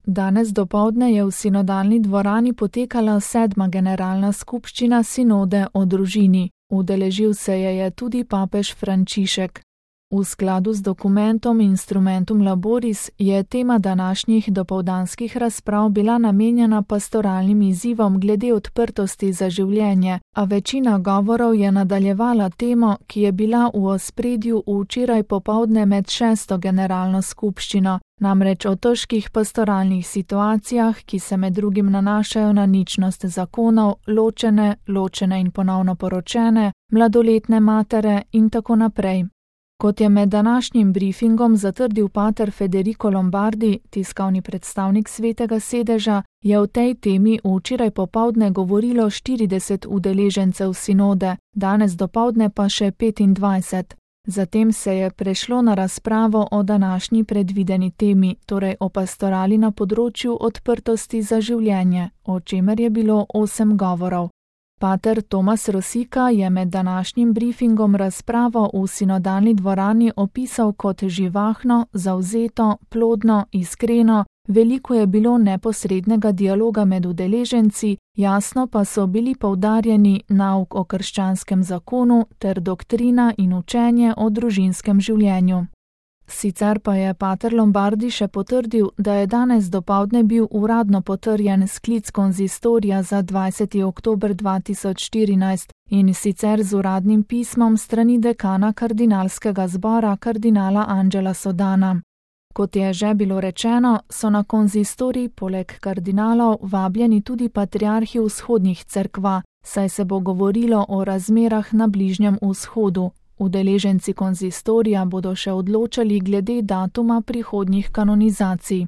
Danes dopoldne je v sinodalni dvorani potekala 7. generalna skupščina sinode o družini. Udeležil se je tudi papež Frančišek. V skladu z dokumentom Instrumentum Laboris je tema današnjih dopoldanskih razprav bila namenjena pastoralnim izzivom glede odprtosti za življenje, a večina govorov je nadaljevala temo, ki je bila v ospredju včeraj popoldne med 6. generalno skupščino, namreč o težkih pastoralnih situacijah, ki se med drugim nanašajo na ničnost zakonov, ločene in ponovno poročene, mladoletne matere in tako naprej. Kot je med današnjim briefingom zatrdil pater Federico Lombardi, tiskovni predstavnik Svetega sedeža, je o tej temi včeraj popoldne govorilo 40 udeležencev sinode, danes dopoldne pa še 25. Zatem se je prešlo na razpravo o današnji predvideni temi, torej o pastorali na področju odprtosti za življenje, o čemer je bilo 8 govorov. Pater Tomas Rosika je med današnjim briefingom razpravo v sinodalni dvorani opisal kot živahno, zavzeto, plodno, iskreno, veliko je bilo neposrednega dialoga med udeleženci, jasno pa so bili poudarjeni nauk o krščanskem zakonu ter doktrina in učenje o družinskem življenju. Sicer pa je pater Lombardi še potrdil, da je danes dopoldne bil uradno potrjen sklic konzistorija za 20. oktober 2014 in sicer z uradnim pismom strani dekana kardinalskega zbora kardinala Angela Sodana. Kot je že bilo rečeno, so na konzistorij poleg kardinalov vabljeni tudi patriarhi vzhodnih cerkva, saj se bo govorilo o razmerah na Bližnjem vzhodu. Udeleženci konzistorija bodo še odločali glede datuma prihodnjih kanonizacij.